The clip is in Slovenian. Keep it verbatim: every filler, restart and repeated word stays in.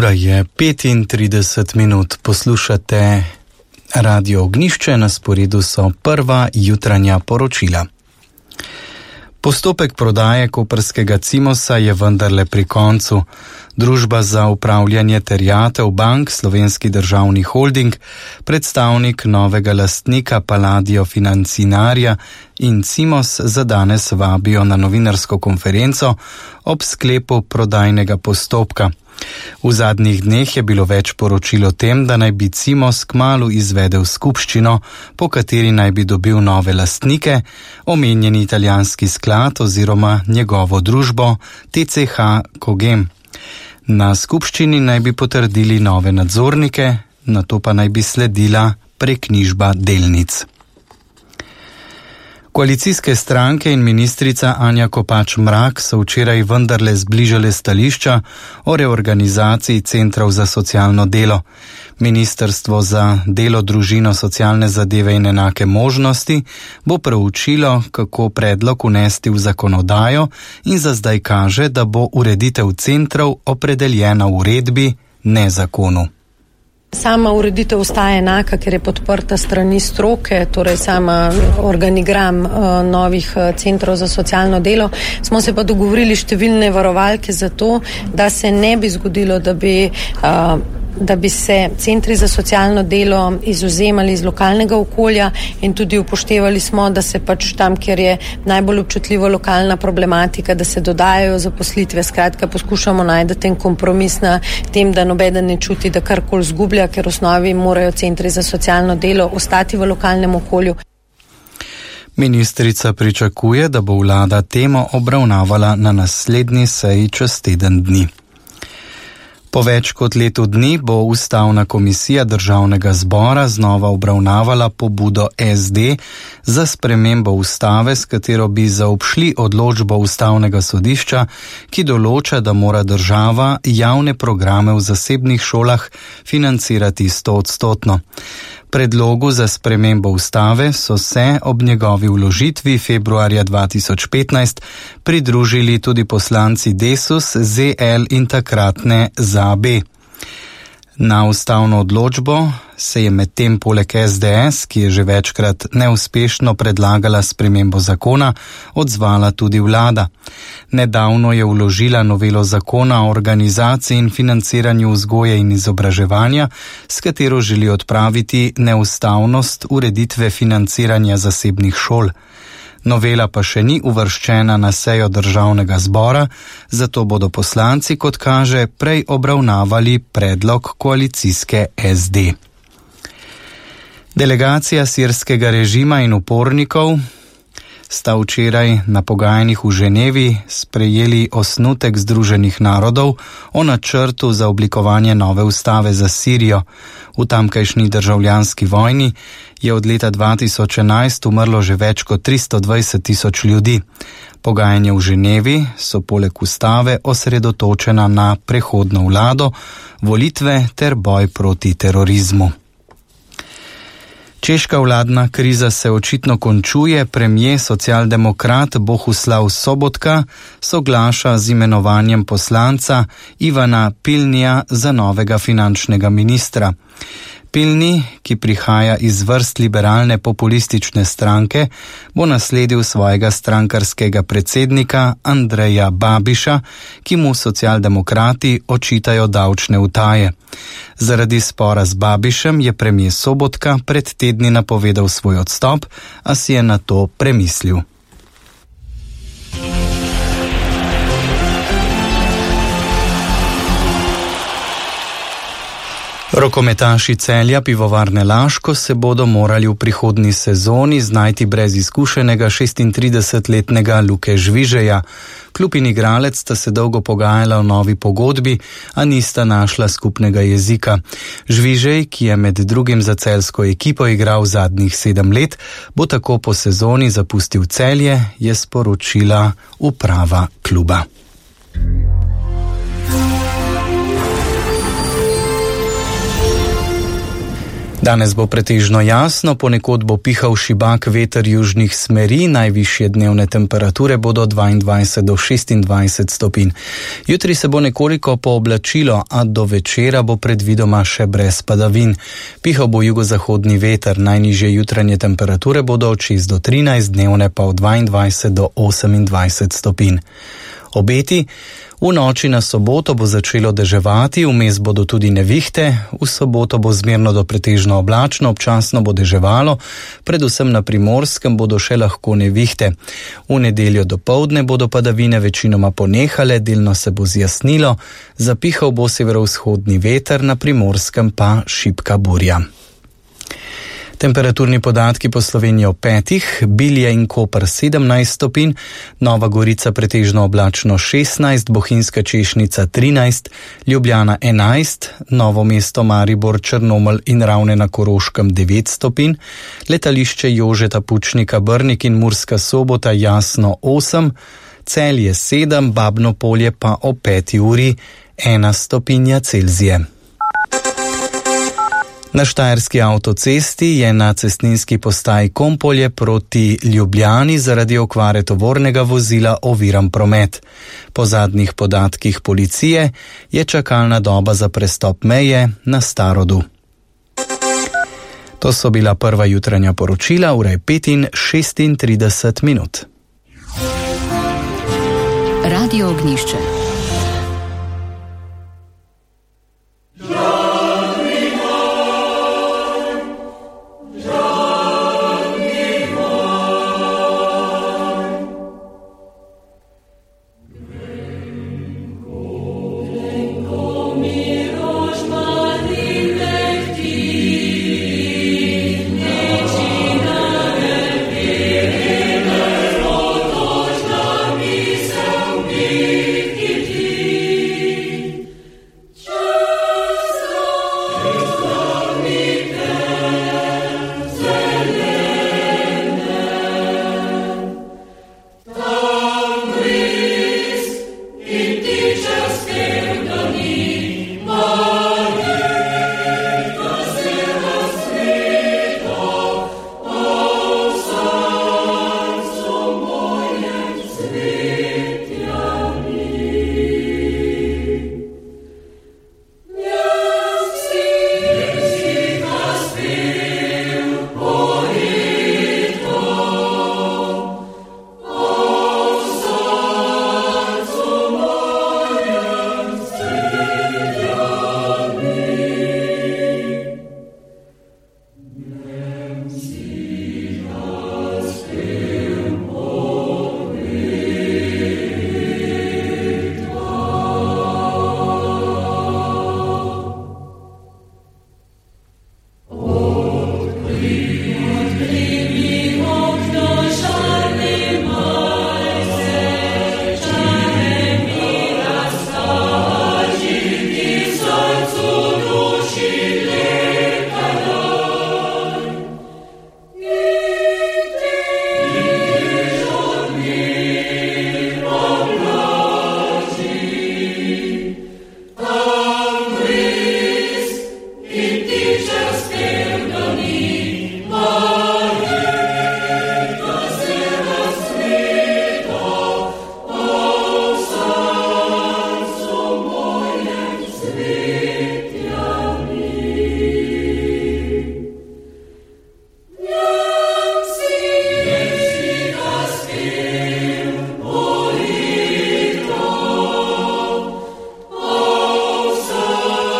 Ura je petintrideset minut, poslušate Radio Ognjišče, na sporedu so prva jutranja poročila. Postopek prodaje koprskega Cimosa je vendarle pri koncu. Družba za upravljanje terjatev bank, Slovenski državni holding, predstavnik novega lastnika Palladio Financinarja in Cimos za danes vabijo na novinarsko konferenco ob sklepu prodajnega postopka. V zadnjih dneh je bilo več poročil o tem, da naj bi Cimos kmalu izvedel skupščino, po kateri naj bi dobil nove lastnike, omenjeni italijanski sklad oziroma njegovo družbo T C H Cogem. Na skupščini naj bi potrdili nove nadzornike, nato pa naj bi sledila preknjižba delnic. Koalicijske stranke in ministrica Anja Kopač Mrak so včeraj vendarle zbližale stališča o reorganizaciji centrov za socialno delo. Ministrstvo za delo, družino, socialne zadeve in enake možnosti bo preučilo, kako predlog unesti v zakonodajo in za zdaj kaže, da bo ureditev centrov opredeljena v uredbi, ne zakonu. Sama ureditev ostaja enaka, ker je podprta strani stroke, torej sama organigram uh, novih uh, centrov za socialno delo. Smo se pa dogovorili številne varovalke za to, da se ne bi zgodilo, da bi, uh, da bi se centri za socialno delo izvzemali iz lokalnega okolja in tudi upoštevali smo, da se pač tam, kjer je najbolj občutljiva lokalna problematika, da se dodajajo zaposlitve. Skratka, poskušamo najti ten kompromis na tem, da nobeden ne čuti, da karkoli zgublja, ker v osnovi morajo centri za socialno delo ostati v lokalnem okolju. Ministrica pričakuje, da bo vlada temo obravnavala na naslednji seji čez teden dni. Po več kot letu dni bo Ustavna komisija Državnega zbora znova obravnavala pobudo S D za spremembo ustave, s katero bi zaobšli odločbo Ustavnega sodišča, ki določa, da mora država javne programe v zasebnih šolah financirati stoodstotno. Predlogu za spremembo ustave so se ob njegovi vložitvi februarja dva tisoč petnajst pridružili tudi poslanci Desus, Z L in takratne Z A B. Na ustavno odločbo se je medtem poleg S D S, ki je že večkrat neuspešno predlagala spremembo zakona, odzvala tudi vlada. Nedavno je vložila novelo zakona o organizaciji in financiranju vzgoje in izobraževanja, s katero želi odpraviti neustavnost ureditve financiranja zasebnih šol. Novela pa še ni uvrščena na sejo Državnega zbora, zato bodo poslanci, kot kaže, prej obravnavali predlog koalicijske S D. Delegacija sirskega režima in upornikov sta včeraj na pogajanjih v Ženevi sprejeli osnutek Združenih narodov o načrtu za oblikovanje nove ustave za Sirijo. V tamkajšnji državljanski vojni je od leta dva tisoč enajst umrlo že več kot tristo dvajset tisoč ljudi. Pogajanja v Ženevi so poleg ustave osredotočena na prehodno vlado, volitve ter boj proti terorizmu. Češka vladna kriza se očitno končuje, premier socialdemokrat Bohuslav Sobotka soglaša z imenovanjem poslanca Ivana Pilnija za novega finančnega ministra. Pilni, ki prihaja iz vrst liberalne populistične stranke, bo nasledil svojega strankarskega predsednika Andreja Babiša, ki mu socialdemokrati očitajo davčne utaje. Zaradi spora z Babišem je premier Sobotka pred tedni napovedal svoj odstop, a si je na to premislil. Rokometaši Celja Pivovarne Laško se bodo morali v prihodnji sezoni znajti brez izkušenega šestintridesetletnega Luke Žvižeja. Klub in igralec sta se dolgo pogajala o novi pogodbi, a nista našla skupnega jezika. Žvižej, ki je med drugim za celjsko ekipo igral zadnjih sedem let, bo tako po sezoni zapustil Celje, je sporočila uprava kluba. Danes bo pretežno jasno, ponekod bo pihal šibak veter južnih smeri, najvišje dnevne temperature bodo dvaindvajset do šestindvajset stopinj. Jutri se bo nekoliko pooblačilo, a do večera bo predvidoma še brez padavin. Pihal bo jugozahodni veter, najnižje jutranje temperature bodo od šest do trinajst, dnevne pa od dvaindvajset do osemindvajset stopinj. Obeti: v noči na soboto bo začelo deževati, vmes bodo tudi nevihte, v soboto bo zmerno do pretežno oblačno, občasno bo deževalo, predvsem na Primorskem bodo še lahko nevihte. V nedeljo dopoldne bodo padavine večinoma ponehale, delno se bo zjasnilo, zapihal bo severovzhodni veter, na Primorskem pa šibka burja. Temperaturni podatki po Sloveniji o petih: Bilje in Koper sedemnajst stopinj, Nova Gorica pretežno oblačno šestnajst, Bohinjska Češnica trinajst, Ljubljana enajst, Novo mesto, Maribor, Črnomelj in Ravne na Koroškem devet stopinj, letališče Jožeta Pučnika Brnik in Murska Sobota jasno osem, Celje sedem, Babno Polje pa o peti uri ena stopinja Celzije. Na štajerski avtocesti je na cestninski postaji Kompolje proti Ljubljani zaradi okvare tovornega vozila oviran promet. Po zadnjih podatkih policije je čakalna doba za prestop meje na Starodu. To so bila prva jutranja poročila, ura je pet in šestintrideset minut. Radio Ognjišče.